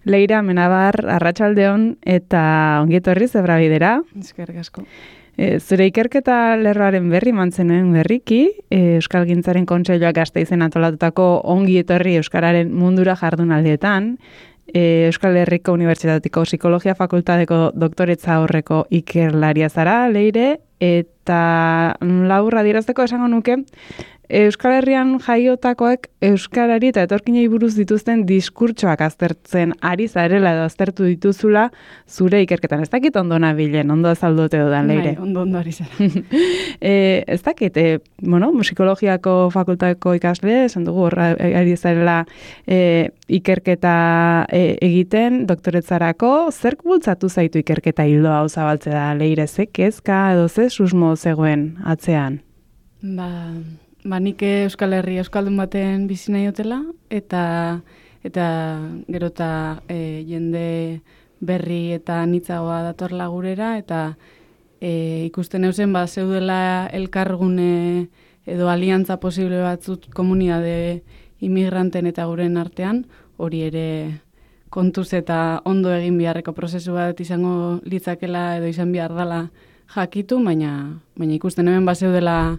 Leira Menabar, arratsaldeon eta ongi etorri Zebrabidera. Eskerrik asko. Zure ikerketa lerroaren berri mantzenuen berriki, Euskalgintzaren Kontseiluak Gasteizen antolatutako ongi etorri euskararen mundura jardunaldietan, Euskal Herriko Unibertsitateko Psikologia Fakultateko doktoretza horreko ikerlaria zara, Leire, eta laburra adierazteko esango nuke, Euskal Herrian jaiotakoek euskarari eta etorkinei buruz dituzten diskurtsoak aztertzen ari zarela edo aztertu dituzula zure ikerketan. Ez dakit ondo nabilen, ondo azaldote dudan, Leire. Bai, ondo ari zara. Ez dakit, psikologiako fakultateko ikasle, esan dugu horra ari zarela ikerketa egiten, doktoretzarako, zerk bultzatu zaitu ikerketa hildo hau zabaltze da, Leire, ze kezka edo ze susmo zegoen atzean? Nik Euskal Herri euskaldun baten bizi nahi dutela, eta gero eta jende berri eta anitzagoa datorla gurera, eta ikusten eusen zeudela elkargune edo aliantza posible batzut komunitate inmigranten eta guren artean, hori ere kontuz eta ondo egin beharreko prozesu bat izango litzakela edo izan behar dela jakitu, baina ikusten hemen zeudela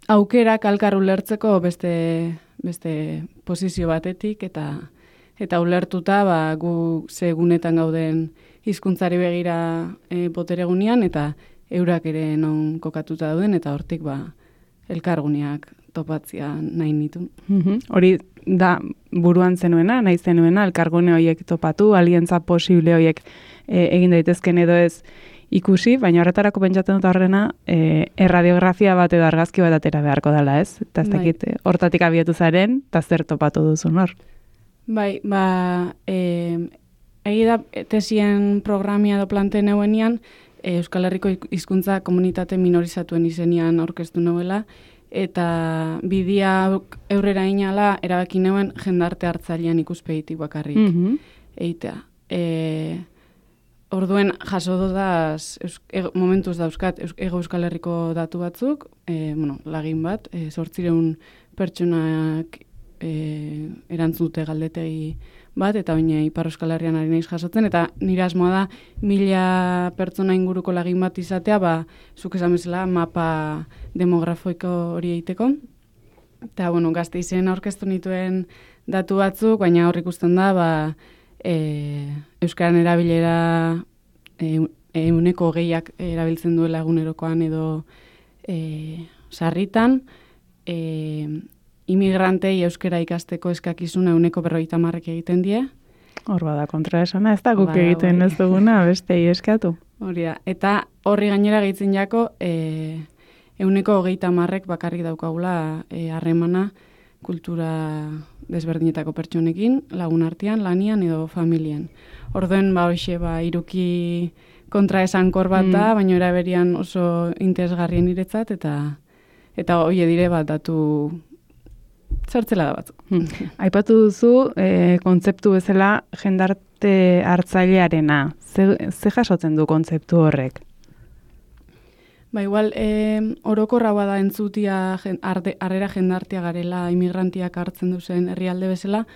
aukerak elkar ulertzeko beste posizio batetik eta ulertuta gu segunetan gauden hizkuntzari begira boteregunean eta eurak ere non kokatuta dauden eta hortik elkarguneak topatzea nahi nitu. Hori da buruan zenuena, nahi zenuena, elkargune horiek topatu, aliantza posible horiek egin daitezken edo ez ikusi, baina horretarako pentsatzen dut horrena erradiografia bat edo argazki bat atera beharko dela, ez? Eta ez dakit, hortatik abiatu zaren, eta zer topatu duzun hor? Bai, egi da tesien programia edo plante neuenian, Euskal Herriko hizkuntza komunitate minorizatuen izenian aurkeztu neuela, eta bidia eurrera inala erabaki neuen jendarte hartzailean ikuspegitik bakarrik eitea. Orduen jaso dodaz, momentuz dauzkat, Ego Euskal Herriko datu batzuk, lagin bat, 800 pertsonak erantzute galdetegi bat, eta baina Ipar Euskal Herrian ari naiz jasotzen, eta nire asmoa da 1000 pertsona inguruko lagin bat izatea, zuk esan bezala mapa demografiko hori egiteko. Eta, Gasteizen aurkeztu nituen datu batzuk, baina hor ikusten da, euskaran erabilera 20% erabiltzen duela egunerokoan edo sarritan, imigrantei euskara ikasteko eskakizuna 50% egiten die. Hor bada kontraesana, ez da guk egiten ez duguna, bestei eskatu. Hori da, eta horri gainera gehitzen jako 20% bakarrik daukagula harremana kultura desberdinetako pertsonekin, lagun artean, lanian edo familian. Orduen, iruki kontraesankor bat da, baina eraberian oso interesgarrien niretzat, eta hori dire datu zertzela da batzuk. Aipatu duzu, kontzeptu bezala jendarte hartzailearena. Ze jasotzen du kontzeptu horrek? Igual, orokorra bada entzutia harrera jendartea garela imigrantiak hartzen duzen herrialde bezala,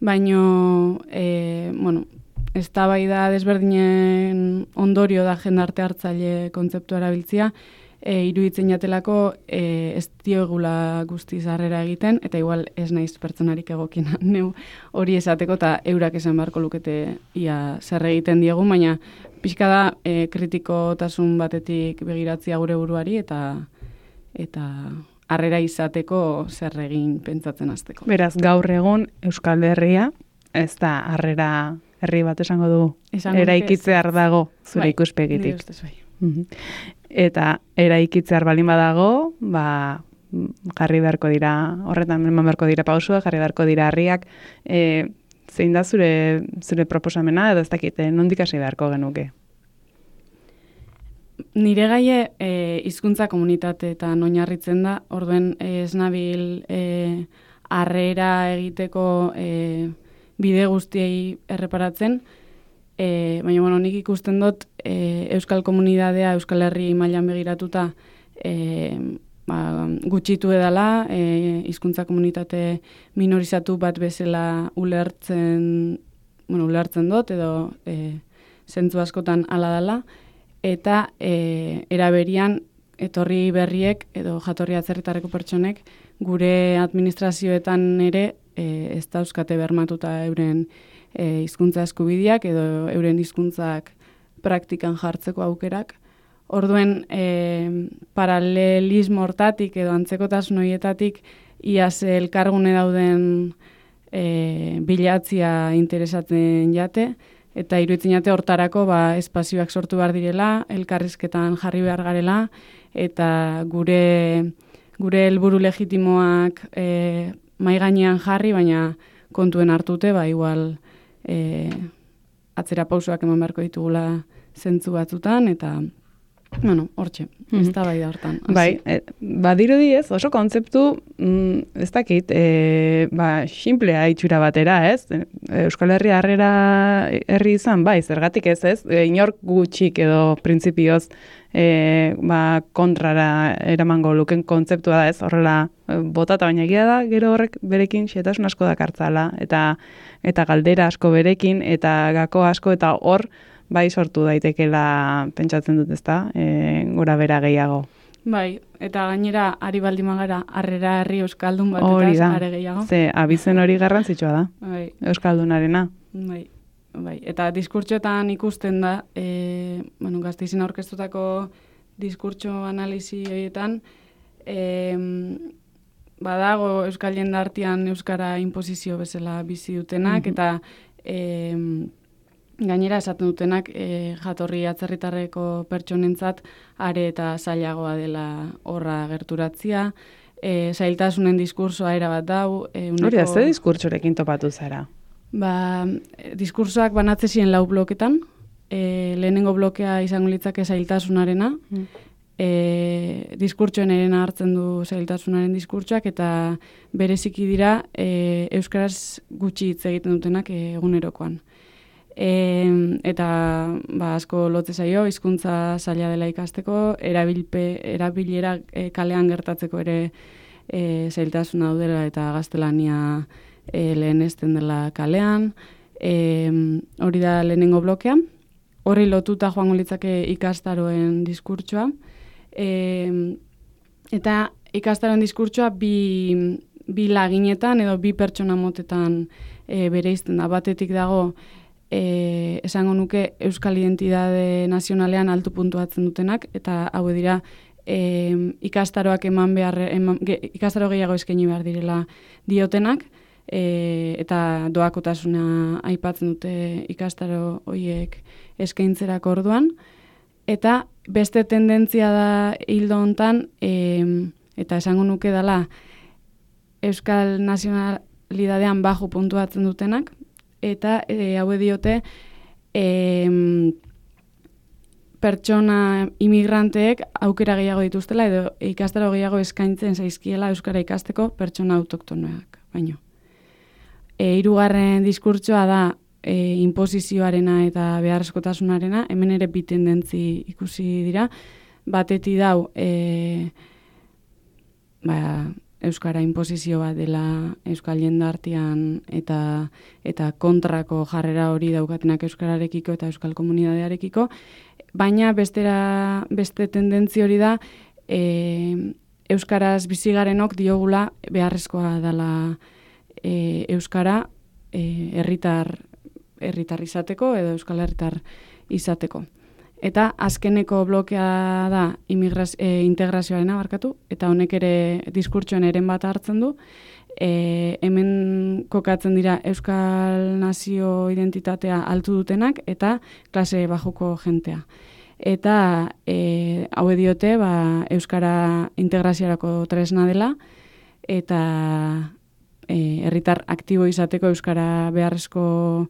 baino, eztabaida desberdinen ondorio da jendarte hartzaile kontzeptua erabiltzia, iruditzen jatelako ez diogula guztiz harrera egiten, eta igual ez naiz pertsonarik egokina neu hori esateko, eta eurak esan beharko lukete ia zer egiten diegun, baina pixka da kritikotasun batetik begiratzea gure buruari eta harrera izateko zer egin pentsatzen hasteko. Beraz, gaur egun Euskal Herria, ez da harrera herri bat esango dugu, eraikitzear dago zure ikuspegitik. Eta eraikitzear balin badago, jarri beharko dira, horretan eman beharko dira pausua, jarri beharko dira harriak, zein da zure proposamena, edo ez dakite, nondik hasi beharko genuke? Nire gaie hizkuntza komunitateetan oinarritzen da, orduen ez nabil harrera egiteko bide guztiei erreparatzen, baina nik ikusten dut Euskal Komunitatea, Euskal Herri mailan begiratuta gutxitu edala, hizkuntza komunitate minorizatu bat bezala ulertzen ulertzen dut, edo zentzu askotan hala dela, eta eraberian etorri berriek edo jatorri atzerritarreko pertsonek gure administrazioetan ere ez dauzkate bermatuta euren hizkuntza eskubideak edo euren hizkuntzak praktikan jartzeko aukerak. Orduen paralelismo hortatik edo antzekotasun horietatik iaz elkargune dauden bilatzia interesatzen jate, eta iruditzen jate hortarako espazioak sortu behar direla, elkarrizketan jarri behar garela, eta gure helburu legitimoak mahai gainean jarri, baina kontuen hartute, igual atzera pausoak eman beharko ditugula zentzu batzutan, eta hortxe, ez da bai da hortan. Bai, badirudi ez, oso kontzeptu, ez dakit, simplea itxura batera, ez? Euskal Herria herri izan, zergatik ez, inork gutxik edo printzipioz kontrara eramango luken kontzeptua da, ez? Horrela botata, baina egia da, gero horrek berekin xetasun asko dakartzala, eta galdera asko berekin, eta gako asko, eta hor, sortu daitekela pentsatzen dut, ezta, gora bera gehiago. Bai, eta gainera, ari baldimagara, harrera herri euskaldun bat, eta are gehiago. Ze, abizen hori garrantzitsua da, bai. Euskaldunarena. Bai, eta diskurtsoetan ikusten da, Gasteizen aurkeztutako diskurtso analizi horietan, badago euskal jendartean euskara inposizio bezala bizi dutenak, eta gainera esaten dutenak jatorri atzerritarreko pertsonentzat are eta zailagoa dela horra gerturatzia, zailtasunen diskursoa erabat dau. Hori da, ze diskurtsorekin topatu zara? Diskursoak banatze ziren 4 bloketan, lehenengo blokea izango litzake zailtasunarena, diskurtsoen erena hartzen du zailtasunaren diskurtsoak, eta bereziki dira euskaraz gutxi hitz egiten dutenak egunerokoan. Eta asko lotze zaio, hizkuntza zaila dela ikasteko, erabilera kalean gertatzeko ere zailtasuna daudela eta gaztelania lehenesten dela kalean. Hori da lehenengo blokea. Horri lotuta joango litzake ikastaroen diskurtsoa. Eta ikastaroen diskurtsoa bi laginetan edo bi pertsona motetan bereizten da. Batetik dago esango nuke euskal identitate nazionalean altu puntuatzen dutenak, eta hau dira ikastaroak ikastaro gehiago eskaini behar direla diotenak, eta doakotasuna aipatzen dute ikastaro horiek eskaintzerako orduan, eta beste tendentzia da hildo hontan, eta esango nuke dela euskal nazionalidadean baju puntuatzen dutenak, eta hau diote pertsona imigranteek aukera gehiago dituztela edo ikastaro gehiago eskaintzen zaizkiela euskara ikasteko pertsona autoktonoak baino. Hirugarren diskurtsoa da inposizioarena eta beharrezkotasunarena, hemen ere bi tendentzi ikusi dira, bateti dau euskara inposizio bat dela euskal jendartean eta kontrako jarrera hori daukatenak euskararekiko eta euskal komunitatearekiko, baina beste tendentzi hori da euskaraz bizigarenok diogula beharrezkoa dela euskara herritar izateko edo euskal herritar izateko. Eta azkeneko blokea da integrazioarena barkatu, eta honek ere diskurtsoen eren bat hartzen du. Hemen kokatzen dira euskal nazio identitatea altu dutenak eta klase bajuko jentea. Eta hau diote euskara integraziorako tresna dela, eta herritar aktibo izateko euskara beharrezko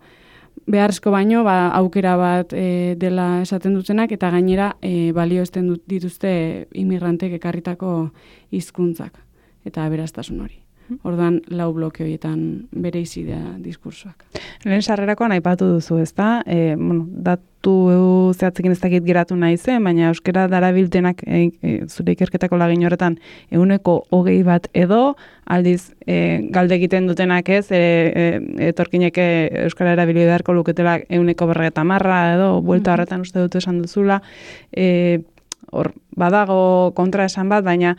baino aukera bat dela esaten dutenak, eta gainera balioesten dituzte imigrantek ekarritako hizkuntzak eta aberastasun hori. Orduan, 4 bloke horietan bereizi da diskursoak. Lehen sarrerakoan aipatu duzu, ezta? Datu zehatzekin ez dakit geratu nahi zen, baina euskara darabiltenak zure ikerketako lagin horretan 20% edo, aldiz galde egiten dutenak ez, etorkinek euskara erabili beharko luketela 50% edo, buelta horretan uste dut esan duzula, hor, badago kontra esan bat, baina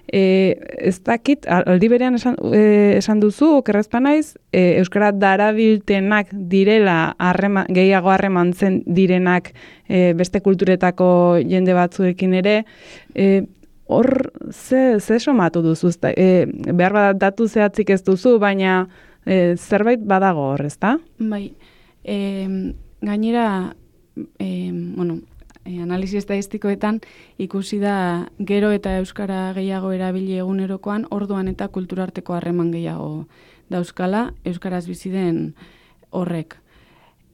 ez dakit, aldi berean esan duzu, okerrezpa naiz, euskara darabiltenak direla gehiago harremantzen direnak beste kulturetako jende batzuekin ere, hor ze somatu duzu, behar bat datu zehatzik ez duzu, baina zerbait badago hor, ezta? Bai, gainera, analisi estadistikoetan ikusi da gero eta euskara gehiago erabili egunerokoan, orduan eta kulturarteko harreman gehiago dauzkala, euskaraz bizi den horrek.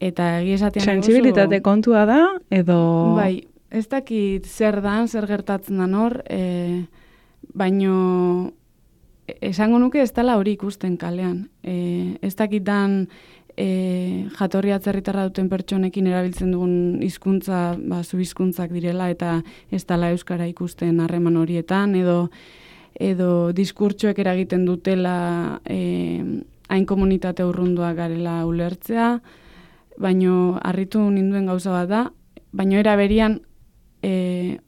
Eta egia esatean sentsibilitate kontua da, edo... Bai, ez dakit zer dan, zer gertatzen dan hor, baino esango nuke ez dela hori ikusten kalean. Ez dakit dan jatorri atzerritarra duten pertsonekin erabiltzen dugun hizkuntza, zu hizkuntzak direla eta ez dela euskara ikusten harreman horietan, edo diskurtsoek eragiten dutela hain komunitate urrunduak garela ulertzea, baino harritu ninduen gauza bat da, baino era berian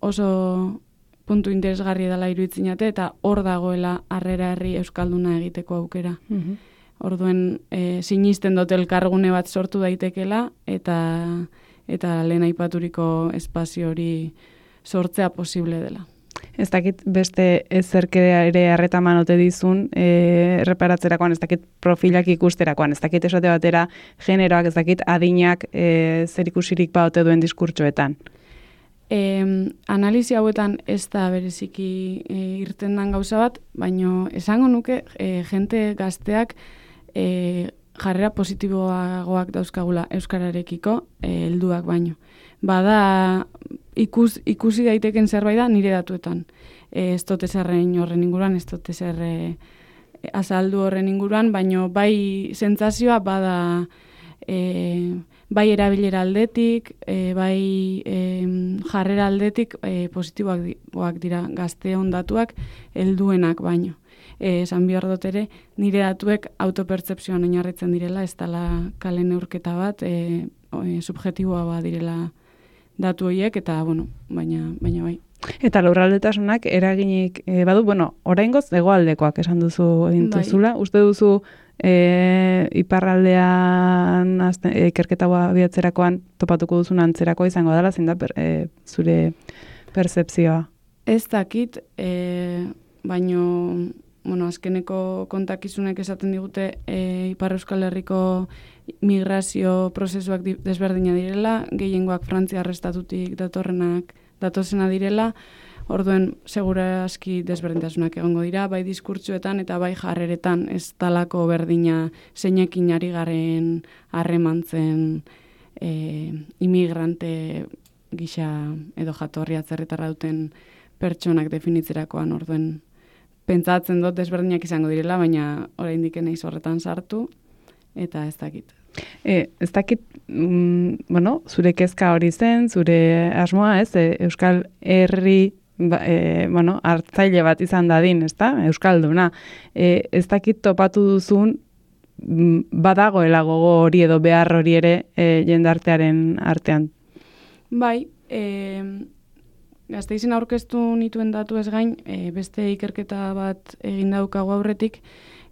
oso puntu interesgarri dela iruditzen eta hor dagoela harrera herri euskalduna egiteko aukera. Orduen sinisten dut elkargune bat sortu daitekela eta lehen aipaturiko espazio hori sortzea posible dela. Ez dakit beste ezerkea ere harretaman ote dizun, erreparatzerakoan, ez dakit profilak ikusterakoan, ez dakit esate batera generoak, ez dakit adinak zer ikusirik ba ote duen diskurtsoetan. Analisi hauetan ez da bereziki irten dan gauza bat, baino esango nuke jente gazteak jarrera positiboagoak dauzkagula euskararekiko helduak baino. Bada ikusi daiteken zerbait da nire datuetan. Ez dut ezerren horren inguruan, ez dut ezerre azaldu horren inguruan, baino bai sentsazioa bada bai erabilera aldetik, bai jarrera aldetik positiboak dira gazteon datuak helduenak baino. Esan behar dut ere, nire datuek autopertzepzioan oinarritzen direla, ez dela kale neurketa bat, subjetiboa bat direla datu horiek, eta, baina bai. Eta lurraldetasunak eraginik badu, oraingoz hegoaldekoak esan duzu egin duzula. Uste duzu iparraldean ikerketa abiatzerakoan topatuko duzun antzerakoa izango dela, zein da zure pertzepzioa? Ez dakit, baino azkeneko kontakizunek esaten digute Ipar Euskal Herriko migrazio prozesuak desberdina direla, gehiengoak Frantziar estatutik datozena direla, orduen segurazki desberdintasunak egongo dira, bai diskurtsoetan eta bai jarreretan ez talako berdina zeinekin ari garen harremantzen imigrante gisa edo jatorri atzerritarra duten pertsonak definitzerakoan, orduen pentsatzen dut desberdinak izango direla, baina oraindik naiz horretan sartu, eta ez dakit. Ez dakit, zure kezka hori zen, zure asmoa, Euskal Herri, hartzaile bat izan dadin, Euskalduna. Ez dakit topatu duzun, badagoela gogo hori edo behar hori ere jendartearen artean. Bai, Gasteizen aurkeztu nituen datu ez gain, beste ikerketa bat egin daukagu aurretik,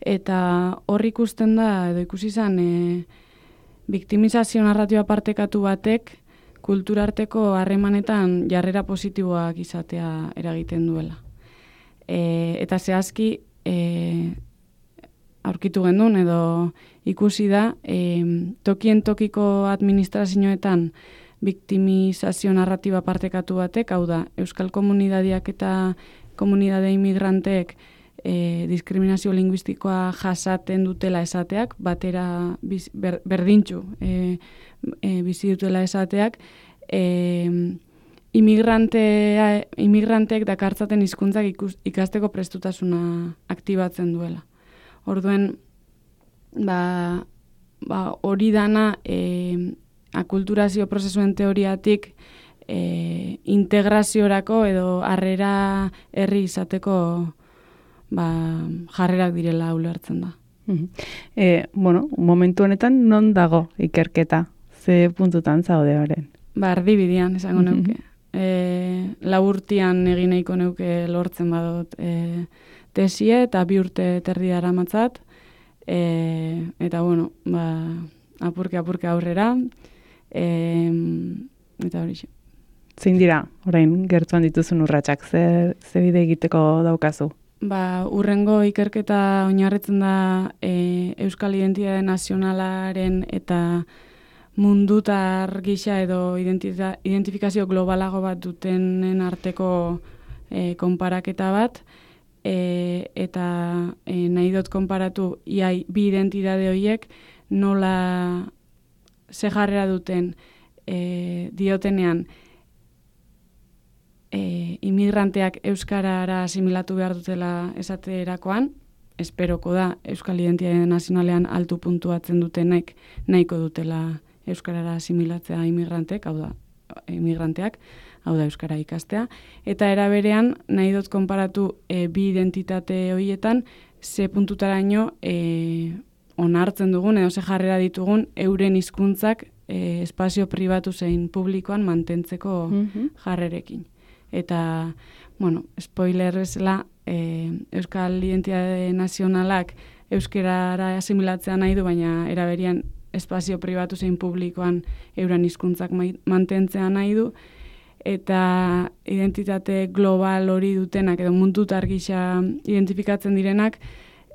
eta hor ikusten da, edo ikusi izan, biktimizazio narratiba partekatu batek kulturarteko harremanetan jarrera positiboak izatea eragiten duela. Eta zehazki aurkitu gendun, edo ikusi da, tokien tokiko administrazioetan biktimizazio narratiba partekatu batek, hau da, euskal komunidadiak eta komunidade imigranteek diskriminazio linguistikoa jasaten dutela esateak, batera berdintxu bizi dutela esateak, imigranteek dakartzaten hizkuntzak ikasteko prestutasuna aktibatzen duela. Orduen, hori dana akulturazio prozesuen teoriatik integraziorako edo harrera herri izateko jarrerak direla ulertzen da. Momentu honetan non dago ikerketa? Ze puntutan zaude horren? Erdibidean, esango neuke. Laburtian egin nahiko neuke lortzen badut tesie eta 2 urte terdi daramatzat. Eta, apurke aurrera. Eta hori. Zein dira, orain gertuan dituzun urratsak, ze bide egiteko daukazu? Urrengo ikerketa oinarritzen da Euskal Identitate Nazionalaren eta mundutar gisa edo identifikazio globalago bat dutenen arteko konparaketa bat, eta nahi dut konparatu bi identitate horiek nola ze jarrera duten diotenean inmigranteak euskarara asimilatu behar dutela esaterakoan, esperoko da Euskal Identitate Nazionalean altu puntuatzen dutenek nahiko dutela euskarara asimilatzea inmigranteak, hau da euskara ikastea, eta era berean nahi dut konparatu bi identitate horietan ze puntutaraino onartzen dugun edo ze jarrera ditugun euren hizkuntzak espazio pribatu zein publikoan mantentzeko jarrerekin. Eta, spoiler bezala, Euskal Identitate Nazionalak euskarara asimilatzea nahi du, baina eraberian espazio pribatu zein publikoan euren hizkuntzak mantentzea nahi du, eta identitate global hori dutenak edo mundutar gisa identifikatzen direnak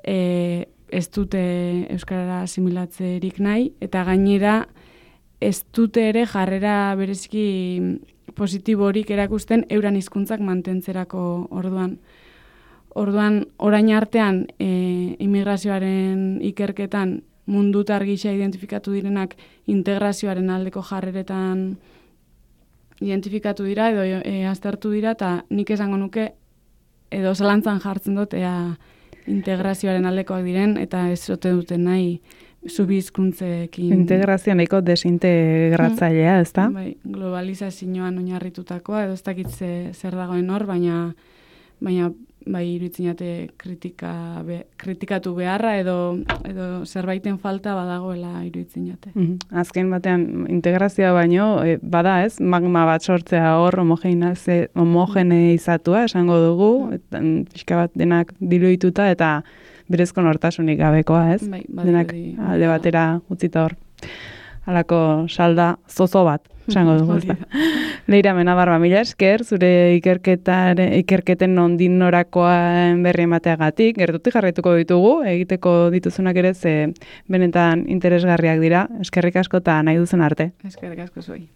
ez dute euskarara asimilatzerik nahi, eta gainera ez dute ere jarrera bereziki positiborik erakusten euren hizkuntzak mantentzerako orduan. Orain artean immigrazioaren ikerketan mundutar gisa identifikatu direnak integrazioaren aldeko jarreretan identifikatu dira edo aztertu dira, eta nik esango nuke edo zalantzan jartzen dut integrazioaren aldekoak diren eta ez zote duten nahi subhizkuntzekin. Integrazio nahiko desintegratzailea, ez da? Bai, globalizazioan oinarritutakoa, edo ez dakit zer dagoen hor, baina iruditzen kritikatu beharra edo zerbaiten falta badagoela iruditzen jate. Azken batean integrazioa baino, bada ez, magma bat sortzea hor homogeneizatua esango dugu, pixka bat denak diluituta eta berezko nortasunik gabekoa, ez? Denak alde batera utzita hor. Halako salda zozo bat, esango dugu. Leira Menabar, mila esker, zure ikerketen nondik norakoen berri emateagatik, gertutik jarraituko ditugu, egiteko dituzunak ere benetan interesgarriak dira. Eskerrik asko eta nahi duzen arte. Eskerrik asko zuei.